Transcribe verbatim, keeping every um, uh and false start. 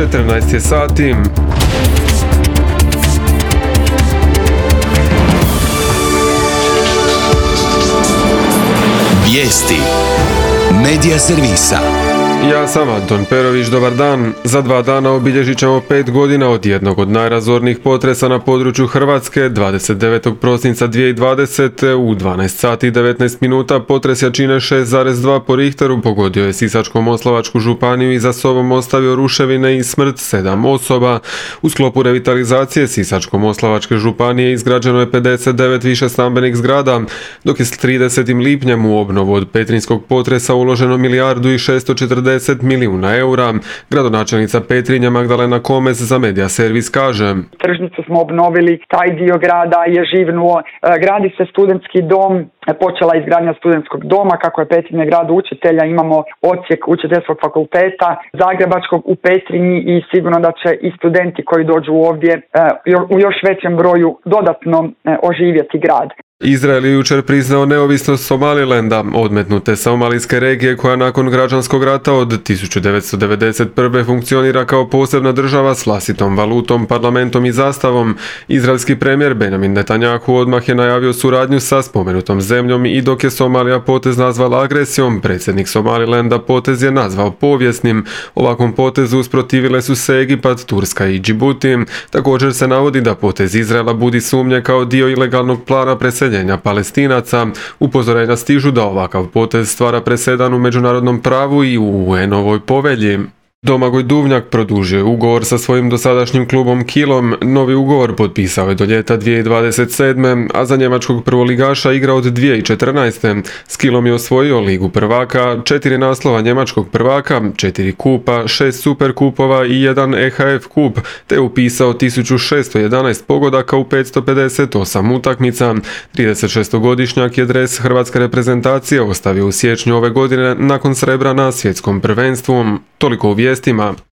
četrnaest je sati. Vijesti Medija servisa. Ja sam Anton Perović, dobar dan. Za dva dana obilježit ćemo pet godina od jednog od najrazornijih potresa na području Hrvatske. dvadeset devetog prosinca dvije tisuće dvadesete u dvanaest sati i devetnaest minuta potres jačine šest zarez dva po Richteru pogodio je Sisačko-moslavačku županiju i za sobom ostavio ruševine i smrt sedam osoba. U sklopu revitalizacije Sisačko-moslavačke županije izgrađeno je pedeset devet višestambenih zgrada, dok je s tridesetim lipnjem u obnovu od petrinjskog potresa uloženo milijardu i šesto četrdeset milijuna eura. Gradonačelnica Petrinje Magdalena Komes za Medija servis kaže: Tržnicu smo obnovili, taj dio grada je živnuo, gradi se studentski dom, počela izgradnja studentskog doma, kako je Petrinja grad učitelja, imamo odsjek učiteljskog fakulteta zagrebačkog u Petrinji i sigurno da će i studenti koji dođu ovdje u još većem broju dodatno oživjeti grad. Izrael je jučer priznao neovisnost Somalilanda, odmetnute somalijske regije koja nakon građanskog rata od tisuću devetsto devedeset prve funkcionira kao posebna država s vlastitom valutom, parlamentom i zastavom. Izraelski premijer Benjamin Netanjahu odmah je najavio suradnju sa spomenutom zemljom i dok je Somalija potez nazvala agresijom, predsjednik Somalilanda potez je nazvao povijesnim. Ovakvom potezu usprotivile su se Egipat, Turska i Džibuti. Također se navodi da potez Izraela budi sumnje kao dio ilegalnog plana preseljenja Palestinaca. Upozorenja stižu da ovakav potez stvara presedan u međunarodnom pravu i u U N-ovoj povelji. Domagoj Duvnjak produžio je ugovor sa svojim dosadašnjim klubom Kielom. Novi ugovor potpisao je do ljeta dvije tisuće dvadeset sedme, a za njemačkog prvoligaša igra od dvije tisuće četrnaeste. S Kielom je osvojio Ligu prvaka, četiri naslova njemačkog prvaka, četiri kupa, šest superkupova i jedan E H F kup, te je upisao tisuću šesto jedanaest pogodaka u petsto pedeset osam utakmica. tridesetšestogodišnjak je dres hrvatske reprezentacije ostavio u siječnju ove godine nakon srebra na svjetskom prvenstvu. Toliko u vijestima.